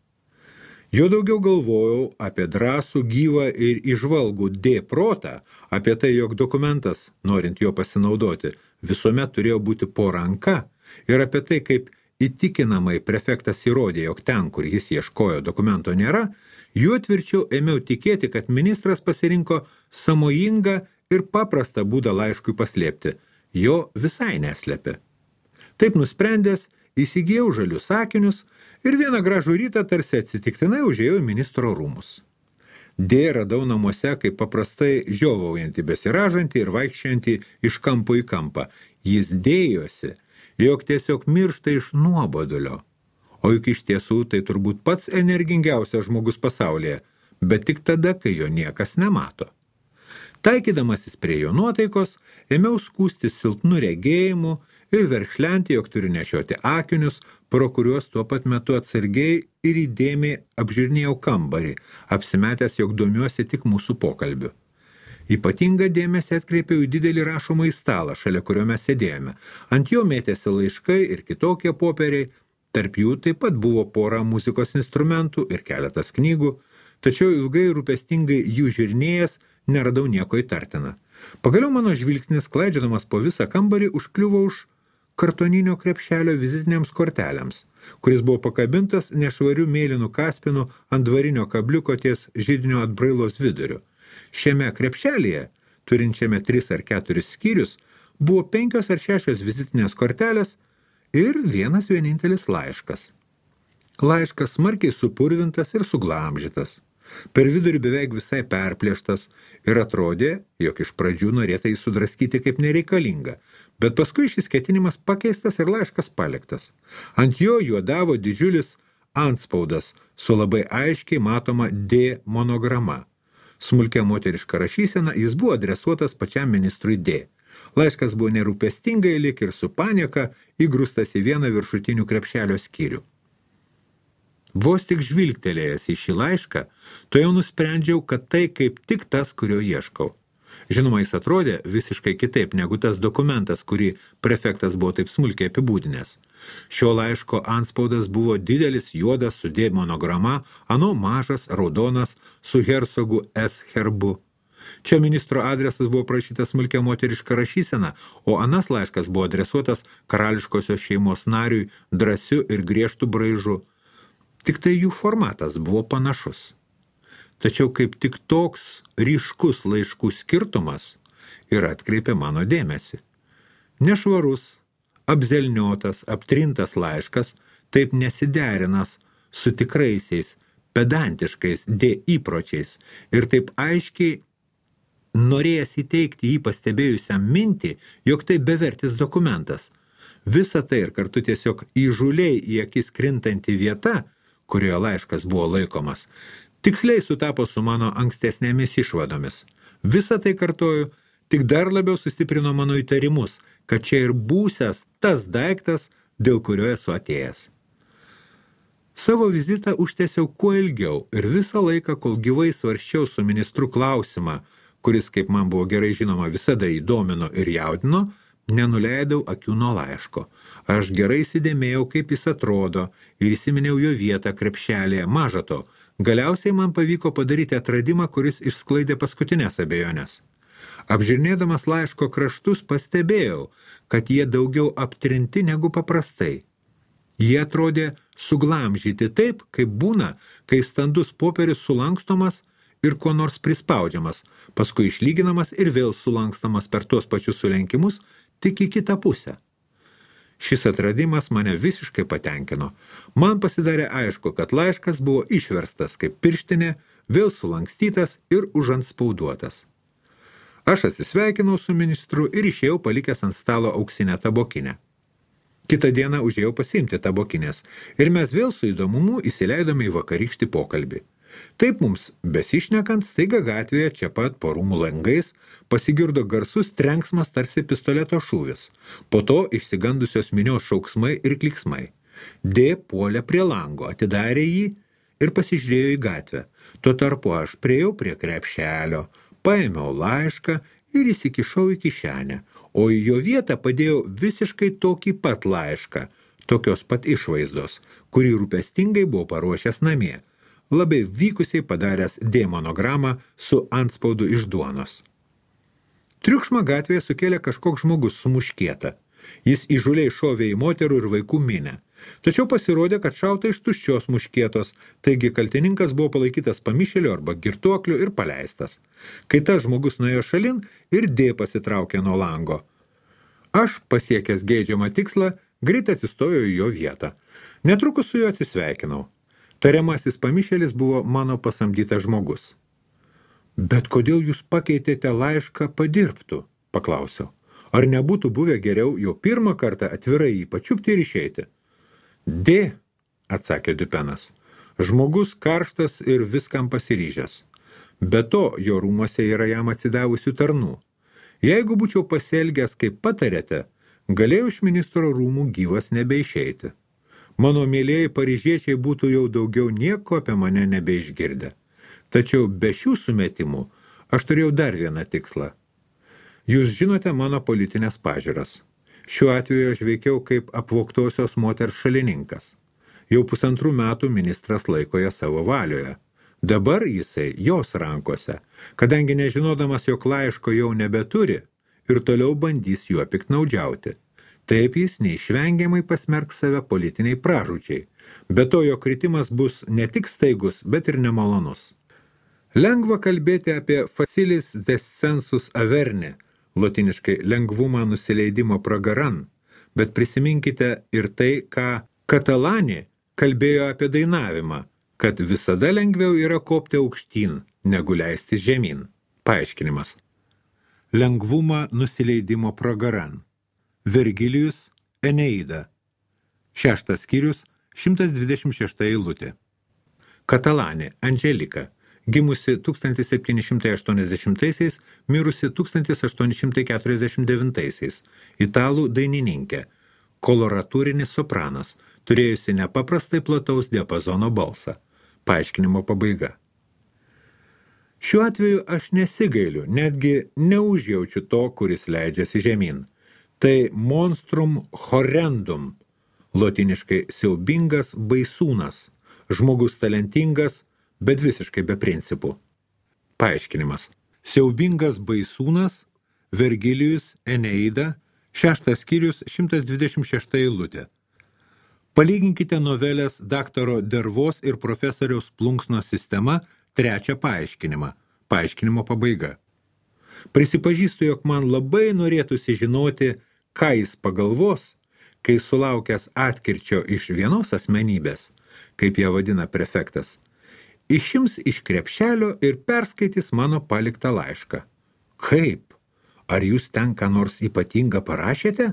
Speaker 1: Jo daugiau galvojau apie drąsų, gyvą ir įžvalgų D protą, apie tai, jog dokumentas, norint jo pasinaudoti, visuomet turėjo būti po ranka, ir apie tai, kaip įtikinamai prefektas įrodė, jog ten, kur jis ieškojo, dokumento nėra, juo tvirčiau ėmiau tikėti, kad ministras pasirinko sąmojingą ir paprastą būdą laiškui paslėpti. Jo visai neslėpė. Taip nusprendęs, įsigijau žalius akinius ir vieną gražų rytą tarsi atsitiktinai užėjau į ministro rūmus. D radau namuose, kaip paprastai žiovaujantį, besiražantį ir vaikščiantį iš kampo į kampą. Jis dėjosi, jog tiesiog miršta iš nuobodulio. O juk iš tiesų tai turbūt pats energingiausias žmogus pasaulyje, bet tik tada, kai jo niekas nemato. Taikydamasis prie jo nuotaikos, ėmiau skųstis silpnu regėjimu ir verkšlenti, jog turiu nešioti akinius, pro kuriuos tuo pat metu atsargiai ir įdėmiai apžiūrinėjau kambarį, apsimetęs, jog domiuosi tik mūsų pokalbiu. Ypatingą dėmesį atkreipiau į didelį rašomą į stalą, šalia kurio mes sėdėjome. Ant jo mėtėsi laiškai ir kitokie popieriai, tarp jų taip pat buvo pora muzikos instrumentų ir keletas knygų, tačiau ilgai rūpestingai jų žiūrinėjęs neradau nieko įtartina. Pagaliau mano žvilgsnis, klaidžiodamas po visą kambarį, užkliuvo už kartoninio krepšelio vizitinėms kortelėms. kuris buvo pakabintas nešvarių mėlynų kaspinų ant dvarinio kabliuko ties židinio atbrailos viduriu. Šiame krepšelyje, turinčiame 3 ar 4 skyrius, buvo 5 ar 6 vizitinės kortelės ir vienas vienintelis laiškas. Laiškas smarkiai supurvintas ir suglamžytas. Per vidurį beveik visai perplėštas ir atrodė, jog iš pradžių norėta jį sudraskyti kaip nereikalinga, bet paskui šis ketinimas pakeistas ir laiškas paliktas. Ant jo juodavo didžiulis antspaudas su labai aiškiai matoma D monograma. Smulkia moteriška rašysena, jis buvo adresuotas pačiam ministrui D. Laiškas buvo nerūpestingai lyg ir su panieka įgrūstas į vieną viršutinių krepšelio skyrių. Vos tik žvilgtelėjęs į šį laišką, to jau nusprendžiau, kad tai kaip tik tas, kurio ieškau. Žinoma, jis atrodė visiškai kitaip negu tas dokumentas, kurį prefektas buvo taip smulkiai apibūdinęs. Šio laiško antspaudas buvo didelis juodas su D monograma, ano mažas raudonas su hercogu S herbu. Čia ministro adresas buvo prašytas smulkia moteriška rašysena, o anas laiškas buvo adresuotas karališkosios šeimos nariui drąsiu ir griežtu braižu. Tik tai jų formatas buvo panašus. Tačiau kaip tik toks ryškus laiškų skirtumas ir atkreipė mano dėmesį. Nešvarus, apzelniotas, aptrintas laiškas taip nesiderinas su tikraisiais, pedantiškais D įpročiais ir taip aiškiai norėjęs įteikti jį pastebėjusiam mintį, jog tai bevertis dokumentas. Visa tai ir kartu tiesiog įžūliai į akis krintanti vieta, kurioje laiškas buvo laikomas, tiksliai sutapo su mano ankstesnėmis išvadomis. Visa tai, kartoju, tik dar labiau sustiprino mano įtarimus, kad čia ir būsias tas daiktas, dėl kurio esu atėjęs. Savo vizitą užtęsiau kuo ilgiau ir visą laiką, kol gyvai svarsčiau su ministru klausimą, kuris, kaip man buvo gerai žinoma, visada įdomino ir jaudino, nenuleidau akių nuo laiško. Aš gerai įsidėmėjau, kaip jis atrodo ir įsiminiau jo vietą krepšelėje. Maža to, galiausiai man pavyko padaryti atradimą, kuris išsklaidė paskutinės abejonės. Apžiūrinėdamas laiško kraštus pastebėjau, kad jie daugiau aptrinti negu paprastai. Jie atrodė suglamžyti taip, kaip būna, kai standus popierius sulankstomas ir kuo nors prispaudžiamas, paskui išlyginamas ir vėl sulankstomas per tuos pačius sulenkimus, tik į kitą pusę. Šis atradimas mane visiškai patenkino. Man pasidarė aišku, kad laiškas buvo išverstas kaip pirštinė, vėl sulankstytas ir užantspauduotas. Aš atsisveikinau su ministru ir išėjau palikęs ant stalo auksinę tabokinę. Kitą dieną užėjau pasiimti tabokinės ir mes vėl su įdomumu įsileidome į vakarykštį pokalbį. Taip mums, besišnekant, staiga gatvėje čia pat po rūmų langais pasigirdo garsus trenksmas tarsi pistoleto šūvis. Po to išsigandusios minios šauksmai ir kliksmai. D puolė prie lango, atidarė jį ir pasižiūrėjo į gatvę. Tuo tarpu aš priėjau prie krepšelio, paėmiau laišką ir įsikišau į kišenę, o į jo vietą padėjau visiškai tokį pat laišką, tokios pat išvaizdos, kurį rūpestingai buvo paruošęs namie. Labai vykusiai padaręs D monogramą su antspaudu iš duonos. Triukšmą gatvėje sukėlė kažkoks žmogus su muškieta. Jis įžūliai šovė į moterų ir vaikų minę. Tačiau pasirodė, kad šauta iš tuščios muškietos, taigi kaltininkas buvo palaikytas pamišėliu arba girtuokliu ir paleistas. Kai tas žmogus nuėjo šalin ir D pasitraukė nuo lango. Aš, pasiekęs geidžiamą tikslą, greit atsistojau į jo vietą. Netrukus su juo atsisveikinau. Tariamasis pamišėlis buvo mano pasamdytas žmogus. Bet kodėl jūs pakeitėte laišką padirbtų? Paklausiau. Ar nebūtų buvę geriau jau pirmą kartą atvirai jį pačiupti ir išeiti? D, atsakė Dupenas. Žmogus karštas ir viskam pasiryžęs. Be to, jo rūmuose yra jam atsidavusių tarnų. Jeigu būčiau pasielgęs, kaip patarėte, galėjau iš ministro rūmų gyvas nebeišeiti. Mano mėlėjai paryžiečiai būtų jau daugiau nieko apie mane nebeišgirdę. Tačiau be šių sumetimų aš turėjau dar vieną tikslą. Jūs žinote mano politinės pažiūras. Šiuo atveju aš veikiau kaip apvogtosios moters šalininkas. Jau 1,5 metų ministras laiko ją savo valioje. Dabar jisai jos rankose, kadangi nežinodamas, jog laiško jau nebeturi ir toliau bandys juo piktnaudžiauti. Taip jis neišvengiamai pasmerks save politiniai pražūčiai. Be to jo kritimas bus ne tik staigus, bet ir nemalonus. Lengva kalbėti apie facilis descensus averne, lotiniškai lengvumą nusileidimo pragaran, bet prisiminkite ir tai, ką Katalani kalbėjo apie dainavimą, kad visada lengviau yra kopti aukštyn, negu leisti žemyn. Paaiškinimas. Lengvumą nusileidimo pragaran. Vergilijus Eneida. 6 skyrius, 126 eilutė. Katalani Andželika, gimusi 1780-aisiais, mirusi 1849-aisiais, italų dainininkė, koloratūrinis sopranas, turėjusi nepaprastai plataus diapazono balsą. Paaiškinimo pabaiga. Šiuo atveju aš nesigailiu, netgi neužjaučiu to, kuris leidžiasi žemyn. Tai monstrum horrendum, lotiniškai siaubingas baisūnas, žmogus talentingas, bet visiškai be principų. Paaiškinimas. Siaubingas baisūnas, Vergilijus Eneida, 6 skyrius, 126 eilutė. Palyginkite novelės daktaro Dervos ir profesoriaus Plunksno sistema 3 paaiškinimą. Paaiškinimo pabaiga. Prisipažįstu, jog man labai norėtųsi žinoti, ką jis pagalvos, kai sulaukęs atkirčio iš vienos asmenybės, kaip ją vadina prefektas, išims iš krepšelio ir perskaitys mano paliktą laišką. Kaip? Ar jūs ten ką nors ypatingą parašėte?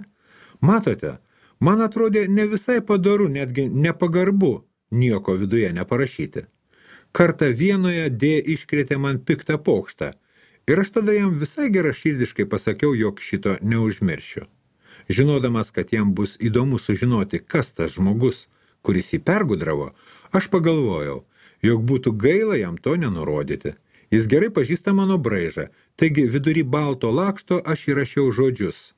Speaker 1: Matote, man atrodė ne visai padoru, netgi nepagarbu nieko viduje neparašyti. Kartą Vienoje D iškrėtė man piktą pokštą ir aš tada jam visai geraširdiškai pasakiau, jog šito neužmiršiu. Žinodamas, kad jam bus įdomu sužinoti, kas tas žmogus, kuris jį pergudravo, aš pagalvojau, jog būtų gaila jam to nenurodyti. Jis gerai pažįsta mano braižą, taigi vidury balto lakšto aš įrašiau žodžius.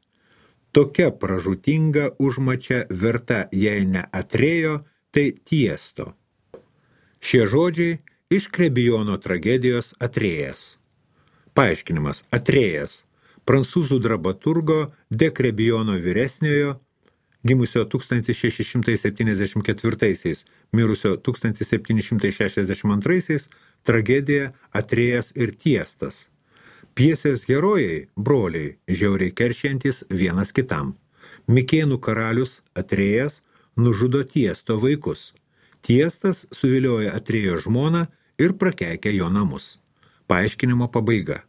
Speaker 1: Tokia pražūtinga užmačia verta, jei ne Atrėjo, tai Tiesto. Šie žodžiai iš Krebijono tragedijos Atrėjas. Paaiškinimas. Atrėjas. Prancūzų dramaturgo de Krebijono vyresniojo, gimusio 1674-aisiais, mirusio 1762-aisiais, tragedija Atrėjas ir Tiestas. Pjesės herojai, broliai, žiauriai keršiantys vienas kitam. Mikėnų karalius Atrėjas nužudo Tiesto vaikus. Tiestas suvilioja Atrėjo žmoną ir prakeikia jo namus. Paaiškinimo pabaiga.